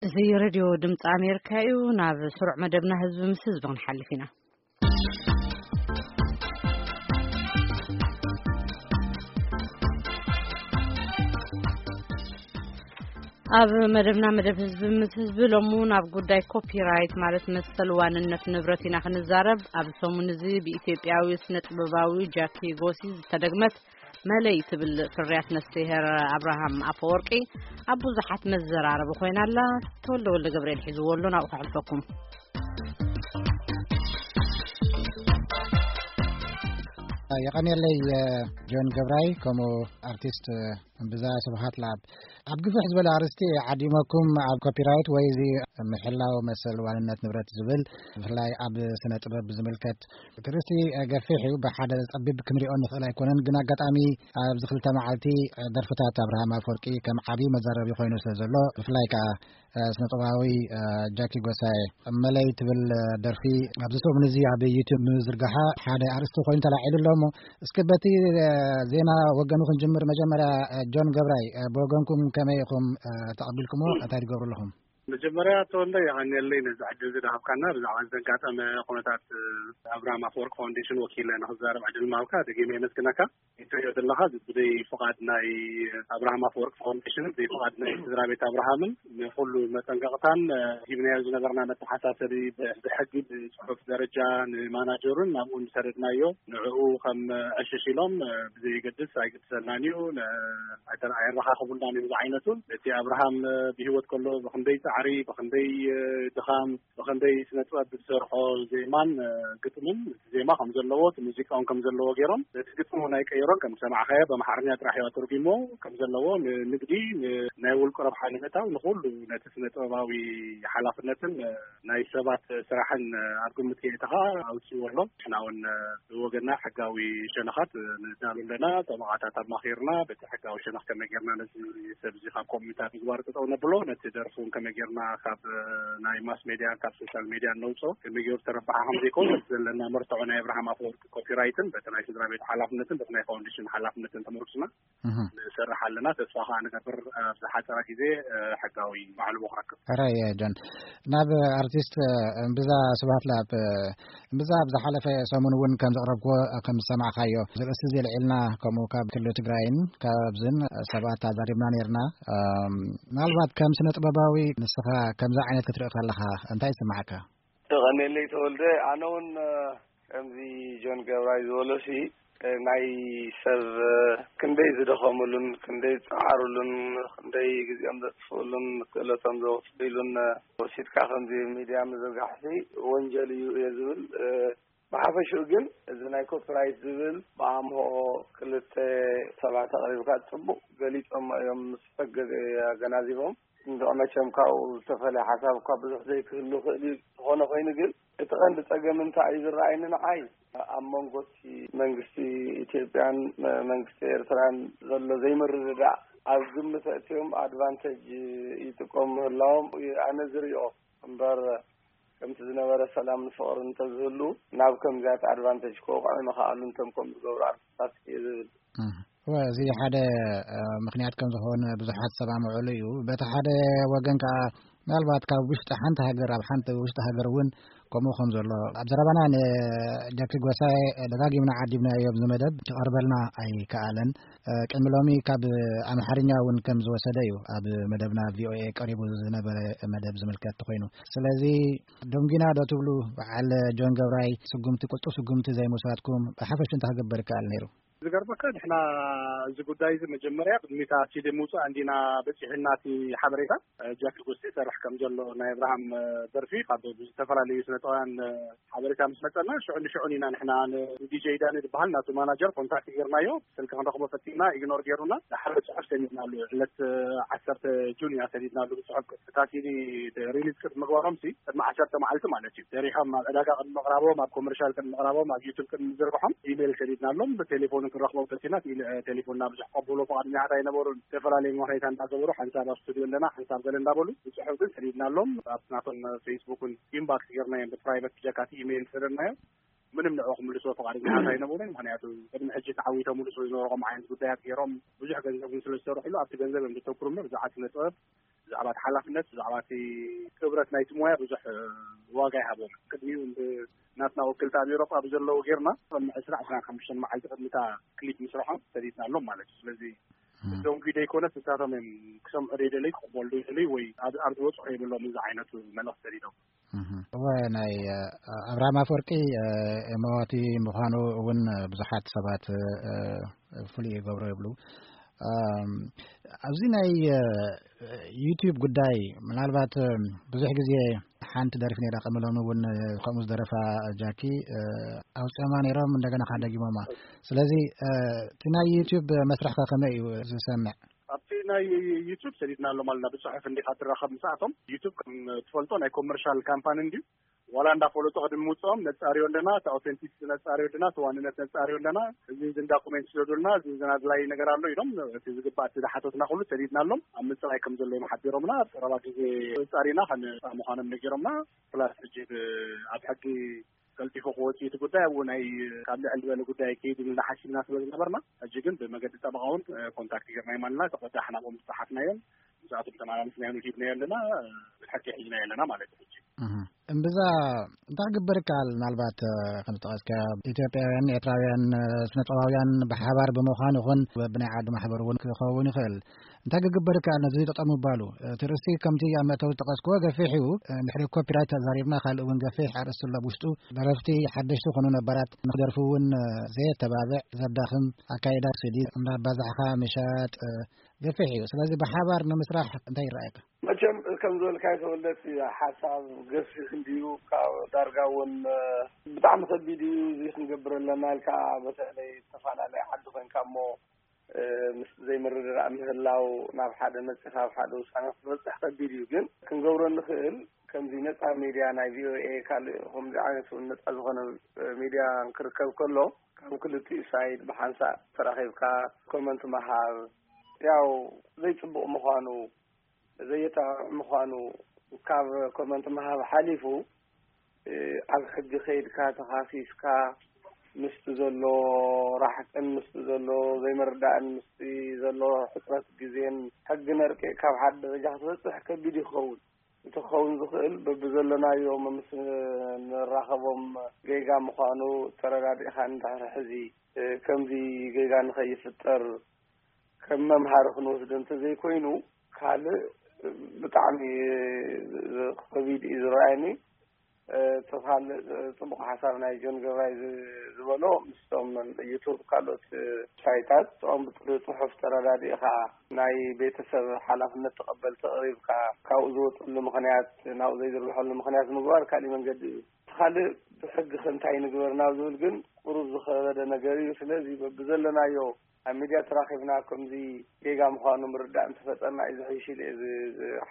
እዚ ሬድዮ ድምፂ ኣሜሪካ እዩ። ናብ ስሩዕ መደብና ህዝቢ ምስ ህዝቢ ክንሓልፍ ኢና። ኣብ መደብና መደብ ህዝቢ ምስ ህዝቢ ሎሙ ናብ ጉዳይ ኮፒራይት ማለት መሰል ዋንነት ንብረት ኢና ክንዛረብ። ኣብ ሰሙን እዚ ብኢትዮጵያዊ ስነ ጥበባዊ ጃኪ ጎሲ ዝተደግመት መለይ ትብል ፍርያት ነፍስሄር ኣብርሃም ኣፈወርቂ ኣብ ብዙሓት መዘራረቢ ኮይና ኣላ። ተወልደ ወልደ ገብርኤል ሒዝዎ ኣሎ፣ ናብኡ ከሕልፈኩም። የቐንየለይ ጆን ገብራይ፣ ከምኡ ኣርቲስት እምብዛ ስብሃት ለኣብ። ኣብ ግፍሕ ዝበለ ኣርእስቲ ዓዲመኩም ኣብ ኮፒራይት ወይ እዚ ምሕላው መሰል ዋንነት ንብረት ዝብል፣ ብፍላይ ኣብ ስነ ጥበብ ብዝምልከት እቲ ርእስቲ ገፊሕ እዩ። ብሓደ ጸቢብ ክንሪኦ ንኽእል ኣይኮነን፣ ግን ኣጋጣሚ ኣብዚ ክልተ መዓልቲ ደርፍታት ኣብርሃም ኣፈወርቂ ከም ዓብዪ መዛረቢ ኮይኑ ስለ ዘሎ፣ ብፍላይ ከኣ ስነ ጥበባዊ ጃኪ ጎሳይ መለይ ትብል ደርፊ ኣብዚ ሰሙን እዚ ኣብ ዩቱብ ምዝርጋሓ ሓደ ኣርእስቲ ኮይኑ ተላዒሉ ኣሎ። እሞ እስኪ በቲ ዜና ወገኑ ክንጅምር። መጀመርያ ጆን ገብራይ፣ ብወገንኩም ከመይ ኢኹም ተቐቢልኩሞ? እንታይ ትገብሩ ኣለኹም? መጀመርያ ተወልደ የቐንየለይ ነዚ ዕድል እዚ ዝሃብካና። ብዛዕባ ዘጋጠመ ኩነታት ኣብርሃም ኣፈወርቅ ፋውንዴሽን ወኪለ ንክዛረብ ዕድል ምሃብካ ደጊመ የመስግነካ። እትሪኦ ዘለኻ ብዘይ ፍቓድ ናይ ኣብርሃም ኣፈወርቅ ፋውንዴሽንን ብዘይ ፍቓድ ናይ ስድራ ቤት ኣብርሃምን ንኹሉ መጠንቀቕታን ሂብናዮ ዝነበርና መተሓሳሰቢ ብሕጊ ብፅሑፍ ደረጃ ንማናጀሩን ናብኡ ንሰደድናዮ። ንዕኡ ከም ዕሽሽ ኢሎም ብዘየገድስ ኣይግድሰልናን እዩ፣ ኣይተን ኣየረኻኽቡልናን እዮም ዝዓይነቱን። እቲ ኣብርሃም ብህይወት ከሎ ብኽንደይ ፃዕሪ፣ ብኽንደይ ድኻም፣ ብኽንደይ ስነ ጥበብ ዝሰርሖ ዜማን ግጥምን፣ እቲ ዜማ ከም ዘለዎ እቲ ሙዚቃ እውን ከም ዘለዎ ገይሮም፣ ነቲ ግጥሚ እውን ኣይቀየሮን። ከም ዝሰማዕካዮ ብኣምሓርኛ ጥራሕ እዩ ኣተርጒሞ። ከም ዘለዎ ንንግዲ፣ ን-፣ ናይ ውልቁ ረብሓ ንምእታው፣ ንኹሉ ነቲ ስነ ጥበባዊ ሓላፍነትን ናይ ሰባት ስራሕን ኣብ ግምት የእተኻ ኣውፅእዎ ኣሎ። ንሕና እውን ብወገንና ሕጋዊ ሸነኻት ንዳሉ ኣለና። ጠበቓታት ኣማኺርና በቲ ሕጋዊ ሸነኽ ከመይ ጌርና ነዚ ሰብ እዚ ካብ ኮሚታት ምግባር ጠጠው ነብሎ፣ ነቲ ደርፊ እውን ከመይ ጌርና ካብ ናይ ማስ ሜድያን ካብ ሶሻል ሜድያን ነውፅኦ፣ ከመይ ገይሩ ተረባሒ ከም ዘይኮን ዘለና መርትዖ ናይ ኣብርሃም ኣፈወርቂ ኮፒራይትን በቲ ናይ ስድራ ቤት ሓላፍነትን በቲ ናይ ፋውንዴሽን ሓላፍነትን ተመርኩስና እህ። ንሰርሕ ኣለና። ተስፋ ከዓ ንገብር ኣብ ዝሓፀረ ግዜ ሕጋዊ ማዕልቦ ክረክብ። ሕራይ ጆን፣ ናብ ኣርቲስት እምብዛ ስብሃት ለኣብ። እምብዛ ኣብ ዝሓለፈ ሰሙን እውን ከም ዘቕረብክዎ ከም ዝሰማዕካዮ ዝርእስቲ እዚ ልዒልና ከምኡ ካብ ክልል ትግራይን ካብዝን ሰባት ኣዛሪብና ነርና። ምናልባት ከም ስነ ጥበባዊ ንስኻ ከምዚ ዓይነት ክትርኢ ከለኻ እንታይ ይስማዓካ? ተቐኔለይ ተወልደ፣ ኣነ እውን ከምዚ ጆን ገብራይ ዝበሎሲ ናይ ሰብ ክንደይ ዝደኸምሉን ክንደይ ዝፀዓሩሉን ክንደይ ግዜኦም ዘጥፍኡሉን ክእለቶም ዘወፍሉን ወሲድካ ከምዚ ሚድያ ምዝርጋሕሲ ወንጀል እዩ እየ ዝብል። ብሓፈሽኡ ግን እዚ ናይ ኮፒራይት ዝብል ብኣምሆ ክልተ ሰባት ኣቕሪብካ ጽቡቕ ገሊጾሞ እዮም ምስ ፈገዘ ኣገናዚቦም። እንድዒ መቸም ካብኡ ዝተፈለየ ሓሳብ እኳ ብዙሕ ዘይክህሉ ይኽእል እዩ። ዝኾነ ኮይኑ ግን እቲ ቀንዲ ጸገም እንታይ እዩ ዝረኣየኒ ንዓይ ኣብ መንጎ እቲ መንግስቲ ኢትዮጵያን መንግስቲ ኤርትራን ዘሎ ዘይምርድዳእ ኣብ ግምት ኣእትዮም ኣድቫንቴጅ ይጥቀሙ ምህላዎም ኣነ ዝሪኦ እምበር ከምቲ ዝነበረ ሰላምን ፍቕርን እንተዝህሉ ናብ ከምዚያት ኣድቫንቴጅ ክወቕዑ ምኸኣሉ እንቶም ከም ዝገብሩ ኣርቲስታት እየ ዝብል። እወ፣ እዚ ሓደ ምኽንያት ከም ዝኾነ ብዙሓት ዝሰማምዑሉ እዩ። በቲ ሓደ ወገን ከኣ ምናልባት ካብ ውሽጢ ሓንቲ ሃገር ኣብ ሓንቲ ውሽጢ ሃገር እውን ከምኡ ከም ዘሎ ኣብ ዘረባና ንጃኪ ጎሳይ ደጋጊምና ዓዲብናዮ ኣብዚ መደብ ክቐርበልና ኣይከኣለን። ቅድሚ ሎሚ ካብ ኣምሓርኛ እውን ከም ዝወሰደ እዩ ኣብ መደብና ቪኦኤ ቀሪቡ ዝነበረ መደብ ዝምልከት ኮይኑ። ስለዚ ደንጒና ዶ ትብሉ በዓል ጆን ገብራይ ስጉምቲ፣ ቅልጡፍ ስጉምቲ ዘይምውሳድኩም ብሓፈሽ እንታይ ክግበር ይከኣል ነይሩ? ዝገርመካ ንሕና እዚ ጉዳይ እዚ መጀመርያ ቅድሚታ ሲዲ ምውፃእ እንዲና በፂሕና እቲ ሓበሬታ ጃኪ ጎስቲ ይሰርሕ ከም ዘሎ ናይ ኣብርሃም ደርፊ ካብ ዝተፈላለዩ ስነጥበባውያን ሓበሬታ ምስ መፀና ሽዑ ንሽዑ ኢና ንሕና ንዲጀይ ዳኒ ዝበሃል ናቱ ማናጀር ኮንታክት ጌርናዮ። ስልኪ ክንረኽቦ ፈቲና ኢግኖር ጌሩና። ድሓር ብፅሑፍ ሰኒድናሉ። ዕለት ዓሰርተ ጁን ኢና ሰኒድናሉ ብፅሑፍ። እታ ሲዲ ሪሊዝ ቅድሚ ምግባሮም ሲ ቅድሚ ዓሰርተ መዓልቲ ማለት እዩ ሰሪሖም ኣብ ዕዳጋ ቅድሚ ምቕራቦም ኣብ ኮመርሻል ቅድሚ ምቕራቦም ኣብ ዩቱብ ቅድሚ ምዝርግሖም ኢሜይል ሰኒድናሎም። ብቴሌፎን ክንረኽቦም ፈቲና ቴሌ- ቴሌፎንና ብዙሕ ቀብሎ ፍቓደኛታት ኣይነበሩን። ዝተፈላለዩ ምኽንያት እንዳገበሩ ሓንሳብ ኣብ ስቱዲዮ ኣለና ሓንሳብ ገለ እንዳበሉ ብፅሑፍ ግን ሰኒድናሎም። ኣብ ናቶም ፌስቡክን ኢንባክስ ጌርናዮም ብፕራይቨት ብጀካቲ ኢሜይል ሰደድናዮም። ምንም ንዕኡ ክምልስዎ ፍቓደኛታት ኣይነበሩን። ምኽንያቱ ቅድሚ ሕጂ ተዓዊቶምሉ ስለ ዝነበሩ ከምኡ ዓይነት ጉዳያት ገይሮም ብዙሕ ገንዘብ እውን ስለ ዝሰርሕሉ ኣብቲ ገንዘብ እዮም ዘተኩሩ እምበር ብዛዕባ ስነ ጥበብ ብዛዕባ እቲ ሓላፍነት፣ ብዛዕባ እቲ ክብረት ናይቲ ሞያ ብዙሕ ዋጋ ይሃቦም። ቅድሚኡ ናትና ወክልቲ ኣብ ኤውሮጳ ብዘለዉ ጌርና፣ ቅድሚ ዕስራ ዕስራን ሓሙሽተን መዓልቲ ቅድሚታ ክሊፕ ምስርሖም ሰዲድናሎም ማለት እዩ። ስለዚ እቶም ኪደ ይኮነስ ንሳቶም እዮም ክሰምዑ ደይደለይ፣ ክቕበሉ ደይደለይ ወይ ኣብ ዝወፅሑ የብሎም እዚ ዓይነቱ መልእኽቲ ሰዲዶም። እወ፣ ናይ ኣብርሃም ኣፈወርቂ መዋቲ ምዃኑ እውን ብዙሓት ሰባት ፍሉይ ይገብሮ ይብሉ። ኣብዚ ናይ ዩቲዩብ ጉዳይ ምናልባት ብዙሕ ግዜ ሓንቲ ደርፊ ነይራ፣ ቅድሚ ሎሚ እውን ከምኡ ዝደረፋ ጃኪ ኣውፅኦማ ነይሮም፣ እንደገና ከደጊሞማ። ስለዚ እቲ ናይ ዩቲዩብ መስርሕካ ከመይ እዩ ዝሰምዕ? ኣብቲ ናይ ዩቱብ ሰዲድና ኣሎ ማለት ብፅሑፍ እንዲካ ትራኸብ ምስኣቶም። ዩቱብ ከም ትፈልጦ ናይ ኮመርሻል ካምፓኒ እንድዩ። ዋላ እንዳፈለጡ ቅድሚ ምውፅኦም ነፃርዮ ኣለና፣ እቲ ኣውተንቲክ ነፃርዮ ኣለና፣ እቲ ዋንነት ነፃርዮ ኣለና፣ እዚ ዝን ዳኩሜንት ስደዱልና፣ እዚ ዝን ኣድላይ ነገር ኣሎ ኢሎም እቲ ዝግባእ እቲ ዝሓተትና ኩሉ ሰዲድናሎም ኣብ ምፅራይ ከም ዘለዎም ሓቢሮምና። ኣብ ቀረባ ግዜ ፃሪና ከነፃ ምዃኖም ነጊሮምና። ፕላስ ሕጂ ኣብ ሕጊ ቀልጢፉ ክወፅእ እቲ ጉዳይ ኣብኡ ናይ ካብ ልዕል ዝበለ ጉዳይ ከይድ ኢልና ሓሲብና ስለ ዝነበርና፣ ሕጂ ግን ብመገዲ ጠበቃ እውን ኮንታክት ጌርና ይማልና ተቆዳሕ ናብኦም ዝፀሓፍናዮም ምስኣቶም ተመላልስናዮም ሂብናዮ ኣለና። ብሓቂ ሒዝናዮ ኣለና ማለት እዩ። ሕጂ እምብዛ እንታይ ክግበር ይከኣል? ምናልባት ከም ዝጠቐስካዮ ኢትዮጵያውያን ኤርትራውያን ስነጥበባውያን ብሓባር ብምዃን ይኹን ብናይ ዓዲ ማሕበር እውን ክኸውን ይኽእል። እንታይ ክግበር ይከኣል ነዚ ጠጠው ምባሉ? እቲ ርእሲ ከምቲ ኣብ መእተዊ ዝጠቐስክዎ ገፊሕ እዩ። እንድሕሪ ኮፒራይት ተዛሪብና ካልእ እውን ገፊሕ ኣርእስቲ ኣሎ ኣብ ውሽጡ። ደረፍቲ ሓደሽቲ ኮኑ ነባራት ንክደርፉ እውን ዘየተባብዕ ዘዳኽም ኣካይዳ ስዲ እንዳባዛሕካ ምሻጥ ገፊሕ እዩ። ስለዚ ብሓባር ንምስራሕ እንታይ ይረኣየካ? መቸም ከም ዝበልካዮ ተወልደት ሓሳብ ገፊሕ እንድዩ። ካብ ዳርጋ እውን ብጣዕሚ ከቢድ እዩ። እዚ ክንገብር ኣለና ኢልካ በተለይ ዝተፈላለየ ዓዲ ኮይንካ እሞ ምስ ዘይምርድዳእ ምህላው ናብ ሓደ መፂኻ ኣብ ሓደ ውሳነ ክትበፅሕ ከቢድ እዩ። ግን ክንገብሮ እንኽእል ከምዚ ነፃ ሚድያ ናይ ቪኦኤ ካልእ ከምዚ ዓይነት እውን ነፃ ዝኾነ ሚድያ ክርከብ ከሎ ካብ ክልቲኡ ሳይድ ብሓንሳእ ተራኺብካ ኮመንት ምሃብ ያው ዘይፅቡቕ ምዃኑ ዘየጣዕም ምዃኑ ካብ ኮመንት ምሃብ ሓሊፉ ኣብ ሕጊ ከይድካ ተኻሲስካ ምስቲ ዘሎ ራሕቅን ምስቲ ዘሎ ዘይምርዳእን ምስቲ ዘሎ ሕፅረት ግዜን ሕጊ ነርቂቕካ ኣብ ሓደ ደረጃ ክትበፅሕ ከቢድ ይኸውን። እቲ ክኸውን ዝኽእል በብዘለናዮ ምስ ንራኸቦም ጌጋ ምዃኑ ተረዳዲእካ እንድሕር ሕዚ ከምዚ ጌጋ ንኸይፍጠር ከም መምሃሪ ክንወስዶ እንተዘይኮይኑ ካልእ ብጣዕሚ ከቢድ እዩ ዝረኣየኒ። እቲ ካልእ ፅቡቕ ሓሳብ ናይ ጆን ገብራይ ዝበሎ ምስቶም ዩቱብ ካልኦት ሳይታት እኦም ብፅሑፍ ተረዳዲእኻ ናይ ቤተሰብ ሓላፍነት ተቐበልቲ ኣቕሪብካ ካብኡ ዝወፀሉ ምኽንያት ናብኡ ዘይዝርግሐሉ ምኽንያት ምግባር ካሊእ መንገዲ እዩ። እቲ ካልእ ብሕጊ ከ እንታይ ንግበር ናብ ዝብል ግን ቁሩብ ዝኸበደ ነገር እዩ። ስለዚ በብዘለናዮ ኣብ ሚድያ ተራኺብና ከምዚ ጌጋ ምዃኑ ምርዳእ እንተፈጠርና እዩ ዝሕይሽ ኢለ እዚ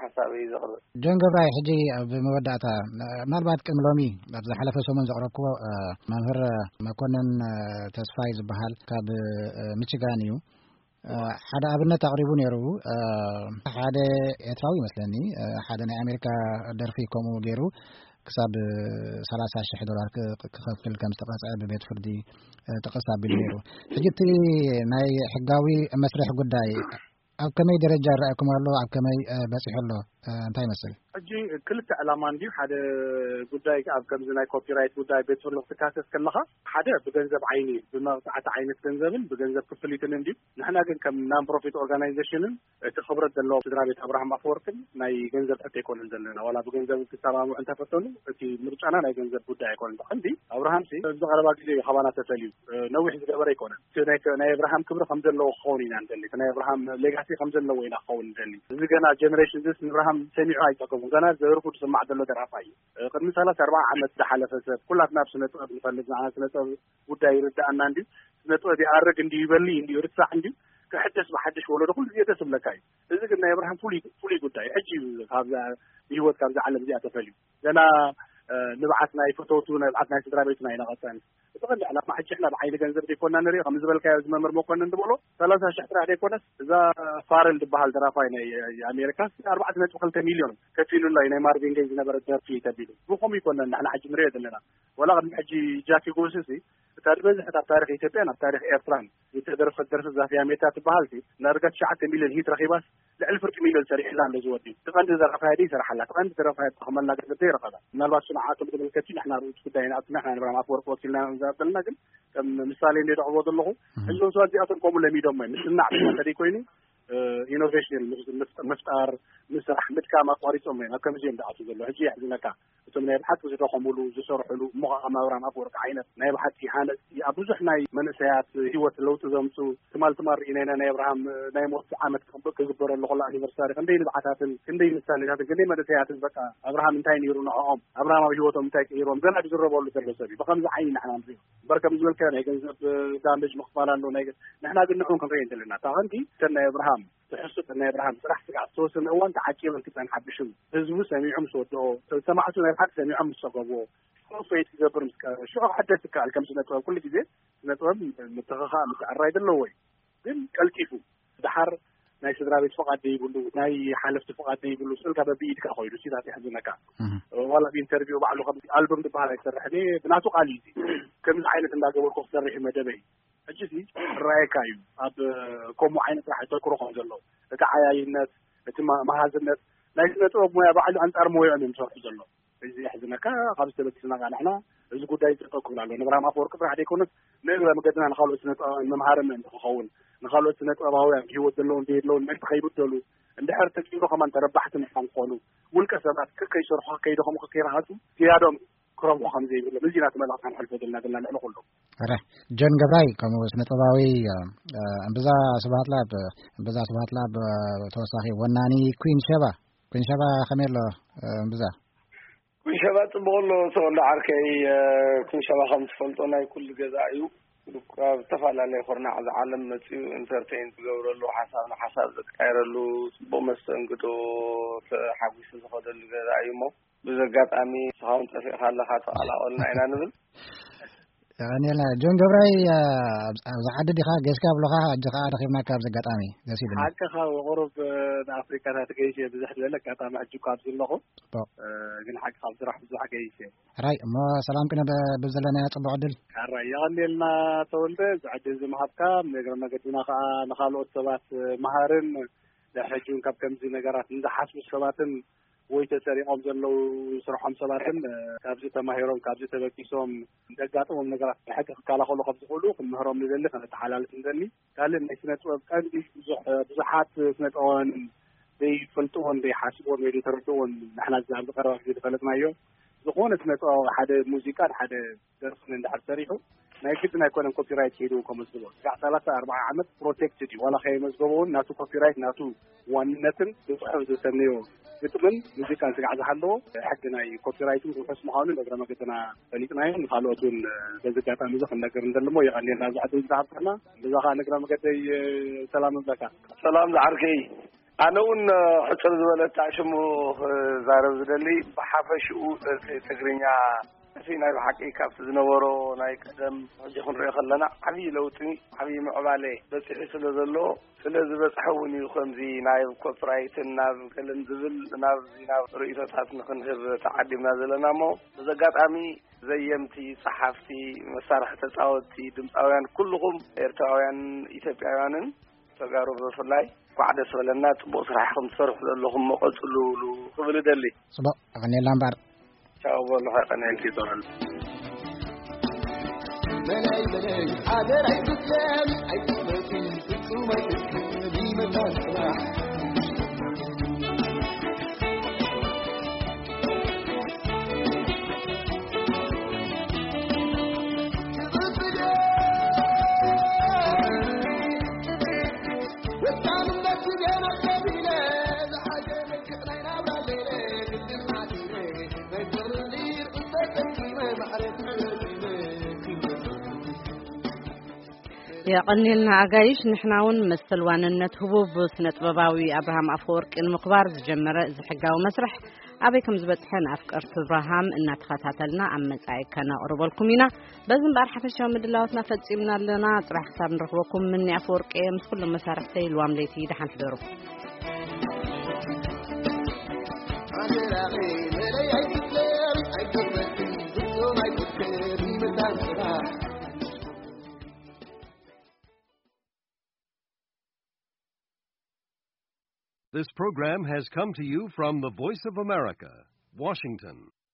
ሓሳብ እዩ ዘቕርብ። ጆን ገብራይ፣ ሕጂ ኣብ መወዳእታ ምናልባት ቅድሚ ሎሚ ኣብ ዝሓለፈ ሰሙን ዘቕረብክዎ መምህር መኮንን ተስፋይ ዝበሃል ካብ ሚችጋን እዩ። ሓደ ኣብነት ኣቕሪቡ ነይሩ። ሓደ ኤርትራዊ ይመስለኒ ሓደ ናይ ኣሜሪካ ደርፊ ከምኡ ገይሩ ክሳብ ሰላሳ ሽሕ ዶላር ክኸፍል ከም ዝተቐፅዐ ብቤት ፍርዲ ጥቕስ ኣቢሉ ነይሩ። ሕጂ እቲ ናይ ሕጋዊ መስርሕ ጉዳይ ኣብ ከመይ ደረጃ ይረኣየኩም ኣሎ? ኣብ ከመይ በፂሑ ኣሎ? እንታይ ይመስል? ሕጂ ክልተ ዕላማ እንድዩ። ሓደ ጉዳይ ኣብ ከምዚ ናይ ኮፒራይት ጉዳይ ቤት ፍርዲ ክትካሰስ ከለኻ ሓደ ብገንዘብ ዓይኒ ብመቕፃዕቲ ዓይነት ገንዘብን ብገንዘብ ክፍሊትን እንድዩ። ንሕና ግን ከም ናን ፕሮፊት ኦርጋናይዜሽንን እቲ ክብረት ዘለዎ ስድራ ቤት ኣብርሃም ኣፈወርቅን ናይ ገንዘብ ሕቶ ኣይኮነን ዘለና። ዋላ ብገንዘብ ክሰማምዑ እንተፈተኑ እቲ ምርጫና ናይ ገንዘብ ጉዳይ ኣይኮነን። ብቐንዲ ኣብርሃም ሲ ኣብዚ ቀረባ ግዜ እዩ ካባና ተፈልዩ። ነዊሕ ዝገበረ ኣይኮነን። እቲ ናይ ናይ ኣብርሃም ክብሪ ከም ዘለዎ ክኸውን ኢና ንደሊ። እቲ ናይ ኣብርሃም ሌጋሲ ከም ዘለዎ ኢና ክኸውን ንደሊ። እዚ ገና ጀነሬሽን ዚስ ንኣብርሃም ሰሚዑ ኣይጠገቡን። ገና ዘርፉ ዝስማዕ ዘሎ ደራፋ እዩ። ቅድሚ ሰላሳ ኣርባዓ ዓመት ዝሓለፈ ሰብ ኩላትና ኣብ ስነ ጥበብ ንፈልጥ ንዓና ስነ ጥበብ ጉዳይ ይርዳኣና እንድዩ። ስነ ጥበብ ይኣርግ እንድዩ ይበሊ እንድዩ ርሳዕ እንድዩ ክሕደስ ብሓድሽ ወለዶ ኩሉ ግዜ ደስ ዝብለካ እዩ። እዚ ግን ናይ ኣብርሃም ፍሉይ ፍሉይ ጉዳይ እዩ። ሕጂ እዩ ካብዛ ብህይወት ካብዛ ዓለም እዚኣ ተፈልዩ። ገና ንብዓት ናይ ፈተውቱ ንብዓት ናይ ስድራ ቤቱ ናይ ነቐፀን እቲ ቀንዲ ዕላማ ሕጂ ሕና ብዓይኒ ገንዘብ ዘይኮና ንሪኦ ከም ዝበልካዮ እዚ መምህር መኮንን ዝበሎ ሰላሳ ሽሕ ጥራሕ ዘይኮነስ እዛ ፋረል ዝበሃል ደራፋይ ናይ ኣሜሪካ ኣርባዕተ ነጥቢ ክልተ ሚልዮን ከፊሉላ እዩ ናይ ማርቪን ገይ ዝነበረ ደርፊ ተቢሉ ብኸምኡ ይኮነን ንሕና ሕጂ ንሪኦ ዘለና ወላ ቅድሚ ሕጂ ጃኪ ጎስሲ እታ ዝበዝሐት ኣብ ታሪኽ ኢትዮጵያን ኣብ ታሪኽ ኤርትራን ዝተደርፈት ደርፊ ዛፍያ ሜታ ትበሃል። ዳርጋ ትሽዓተ ሚልዮን ሂት ረኺባስ ልዕሊ ፍርቂ ሚልዮን ሰሪሕላ ኣሎ ዝወዲ። ትቐንዲ ደራፋይ ዲ ይሰርሓላ ትቐንዲ ደራፋይ ተኸመላ ገንዘብ ይረኸባ። ምናልባት ንዓቶም ዝምልከት እዩ። ንሕና ርእሱ ጉዳይ ንኣቱ ንሕና ንብራም ኣፈወርቂ ወኪልና ዘበልና ግን ከም ምሳሌ እንደ ደቕቦ ዘለኹ እዞም ሰባት እዚኣቶም ከምኡ ለሚዶም እዮም። ምስናዕ ብቻ እንተደይ ኮይኑ ኢኖቬሽን ምፍጣር ምስራሕ ምድካም ኣቋሪፆም እዮም። ኣብ ከምዚ እዮም ዝኣቱ ዘሎ። ሕጂ የሕዝነካ። እቶም ናይ ብሓቂ ዝደኸሙሉ ዝሰርሕሉ እሞ ከኣ ማብራም ኣፈወርቂ ዓይነት ናይ ብሓቂ ሃነፅቲ ኣብ ብዙሕ ናይ መንእሰያት ህይወት ለውጢ ዘምፁ ትማል ትማል ርኢና ኢና። ናይ ኣብርሃም ናይ ሞት ዓመት ክግበረሉ ከሎ ኣኒቨርሳሪ ክንደይ ንብዓታትን ክንደይ ምሳሌታትን ክንደይ መንእሰያትን በቃ ኣብርሃም እንታይ ነይሩ ንዕኦም ኣብርሃም ኣብ ህይወቶም እንታይ ቀይሮም ገና ዝዝረበሉ ዘሎ ሰብ እዩ። ብከምዚ ዓይኒ ንሕና ንሪኦ እምበር ከም ዝበልካ ናይ ገንዘብ ዳሜጅ ምኽፋል ኣሎ ናይ ገ- ንሕና ግን ንዕኡ ክንርኢ እንተለና እታ ቀንዲ እተን ናይ ኣብርሃም ትሕዝቶ ናይ ኣብርሃም ስራሕ ስጋዕ ዝተወሰነ እዋን ተዓቂበን ክፀንሓ ብሽም ህዝቡ ሰሚዑ ምስ ወድኦ ሰማዕቱ ናይ ብሓቂ ሰሚዖም ምስ ፀገብዎ ሽዑ ፈይት ክገብር ምስ ቀረበ ሽዑ ክሕደስ ይከኣል። ከም ስነ ጥበብ ኩሉ ግዜ ስነ ጥበብ ምትኽኻእ ምትዕራይ ዘለዎ እዩ። ግን ቀልጢፉ ድሓር ናይ ስድራ ቤት ፍቓድ ዘይብሉ ናይ ሓለፍቲ ፍቓድ ዘይብሉ ስእልካ በብኢድካ ኮይኑ ሲታት ይሕዝነካ። ዋላ ብኢንተርቪው ባዕሉ ከም ኣልበም ዝበሃል ኣይሰርሕን እየ ብናቱ ቃል እዩ። ከምዚ ዓይነት እንዳገበርኩ ክሰርሕ እዩ መደበይ። ሕጂ እዚ ክረኣየካ እዩ። ኣብ ከምኡ ዓይነት ስራሕ ይተክሩ ከም ዘለዉ እቲ ዓያይነት እቲ ማ- መሃዝነት ናይ ስነ ጥበብ ሙያ ባዕሉ ኣንጻር ሞያኦም እዮም ዝሰርሑ ዘለዉ። እዚ የሕዝነካ። ካብ ዝተበግስና ቃ ንሕና እዚ ጉዳይ ዝጠጠው ክብል ኣሎ። ንብርሃም ኣፈወርቂ ጥራሕ ዘይኮነስ ንእግረ መገድና ንካልኦት ስነ ጥበባውያን መምሃሪ ምእንቲ ክኸውን ንካልኦት ስነ ጥበባውያን ብህይወት ዘለውን ዘየለውን ምእንቲ ከይብደሉ እንድሕር ተኪሉ ከማን ተረባሕቲ ምኳን ክኾኑ ውልቀ ሰባት ከከይሰርሑ ከከይደኸሙ ከከይረሃፁ ዝያዶም ክረብሑ ከም ዘይብሎም እዚ ናቲ መልእኽቲ ክንሕልፎ ዘለና ዘለና ልዕሊ ኩሉ። ረ ጆን ገብራይ ከምኡ ስነ ጥበባዊ እምብዛ ስብሃት ላብ እምብዛ ስብሃት ላብ ተወሳኺ ወናኒ ኩን ሸባ ኩን ሸባ ከመይ ኣሎ እምብዛ ኩን ሸባ ጽቡቕ ኣሎ ተወልደ ዓርከይ ኩን ሸባ ከም ትፈልጦ ናይ ኩሉ ገዛ እዩ ካብ ዝተፈላለየ ኩርናዕ ዝዓለም መጽኡ ኢንተርቴን ዝገብረሉ ሓሳብ ንሓሳብ ዘቃይረሉ ጽቡቕ መስተንግዶ ተሓጒሱ ዝኸደሉ ገዛ እዩ እሞ ብዘጋጣሚ ንስኻ እውን ጠፊእካ ኣለኻ ተቐላቐልና ኢና ንብል። ቀኒልና ጆን ገብራይ ኣብዚ ዓዲ ዲኻ ገስካ ብሎኻ ሕጂ ከዓ ረኺብናካ ኣብዚ ኣጋጣሚ ደስ ኢሉና። ሓቅኻ ቁሩብ ንኣፍሪካታት ገይሸ ብዙሕ ዝበለ ኣጋጣሚ ሕጂ እኳ ኣብዚ ኣለኹ። ጽቡቕ። ግን ሓቂ ካብ ስራሕ ብዙሕ ገይሸ። ሕራይ እሞ ሰላም ቅነ ብዘለናዮ ጽቡቕ ዕድል። ሕራይ የቐኒልና ተወልደ እዚ ዕድል እዚ ምሃብካ። እግረ መገድና ከዓ ንካልኦት ሰባት መሃርን ድሕሪ ሕጂ እውን ካብ ከምዚ ነገራት ንዝሓስቡ ሰባትን ወይ ተሰሪቖም ዘለዉ ስርሖም ሰባትን ካብዚ ተማሂሮም ካብዚ ተበጊሶም ዘጋጥሞም ነገራት ብሕቂ ክከላኸሉ ከም ዝኽእሉ ክንምህሮም ንደሊ ከነተሓላልፍ ንደሊ። ካልእ ናይ ስነ ጥበብ ቀንዲ ብዙሕ ብዙሓት ስነ ጥበባውያን ዘይፈልጥዎን ዘይሓስብዎን ወይ ዘይተረድእዎን ንሕና ኣብዚ ቀረባ ግዜ ዝፈለጥናዮ ዝኾነ ስነ ጥበባዊ ሓደ ሙዚቃን ሓደ ደርፍን እንድሕር ሰሪሑ ናይ ግድን ኣይኮነን ኮፒራይት ከይዱ ከመዝግቦ ስጋዕ ሰላሳ ኣርባዓ ዓመት ፕሮቴክትድ እዩ ዋላ ከየመዝገቦ እውን ናቱ ኮፒራይት ናቱ ዋንነትን ብፅሑፍ ዝተነዮ ግጥምን ሙዚቃን ስጋዕ ዝሃለዎ ሕጊ ናይ ኮፒራይት እውን ርሑስ ምዃኑ እግረ መገድና ፈሊጥናዮ ንካልኦት እውን በዚ ኣጋጣሚ እዚ ክንነግር እንደልሞ የቐኒልና እዚ ዕድል ዝሃብካና ብዛ ከዓ ንእግረ መገደይ ሰላም እብለካ። ሰላም ዝዓርከይ ኣነ እውን ሕፅር ዝበለት ሽሙ ክዛረብ ዝደሊ ብሓፈሽኡ ደርፊ ትግርኛ እቲ ናይ ብሓቂ ካብቲ ዝነበሮ ናይ ቀደም ሕጂ ክንሪኦ ከለና ዓብዪ ለውጢ ዓብዪ ምዕባለ በፂሑ ስለ ዘሎ ስለ ዝበፅሐ እውን እዩ ከምዚ ናብ ኮፒራይትን ናብ ገለን ዝብል ናብዚ ናብ ርእይቶታት ንክንህብ ተዓዲምና ዘለና እሞ በዚ ኣጋጣሚ ዘየምቲ፣ ጸሓፍቲ፣ መሳርሒ ተጻወትቲ፣ ድምጻውያን ኩልኹም ኤርትራውያን ኢትዮጵያውያንን ተጋሩ ብፍላይ እንኳዕ ደስ በለና ጽቡቕ ስራሕ ኢኹም ትሰርሑ ዘለኹም እሞ ቀጽሉሉ ክብል እደሊ። ጽቡቕ ኣቐንየልና እምበኣር። ቻው በሉ ከቀንየልኪ ይጸወሉ። የቐኒልና ኣጋይሽ። ንሕና እውን መሰል ዋንነት ህቡብ ስነ ጥበባዊ ኣብርሃም ኣፈወርቂ ንምኽባር ዝጀመረ እዚ ሕጋዊ መስርሕ ኣበይ ከም ዝበፅሐ ንኣፍቀርቲ ኣብርሃም እናተኸታተልና ኣብ መጻኢ ከነቕርበልኩም ኢና። በዚ እምበኣር ሓፈሻዊ ምድላዋትና ፈጺምና ኣለና። ጽባሕ ክሳብ ንረኽበኩም ምኒ ኣፈወርቂ ምስ ኩሎም መሳርሕተይ ልዋም ለይቲ ደሓን ሕደሩ። This program has come to you from the Voice of America, Washington.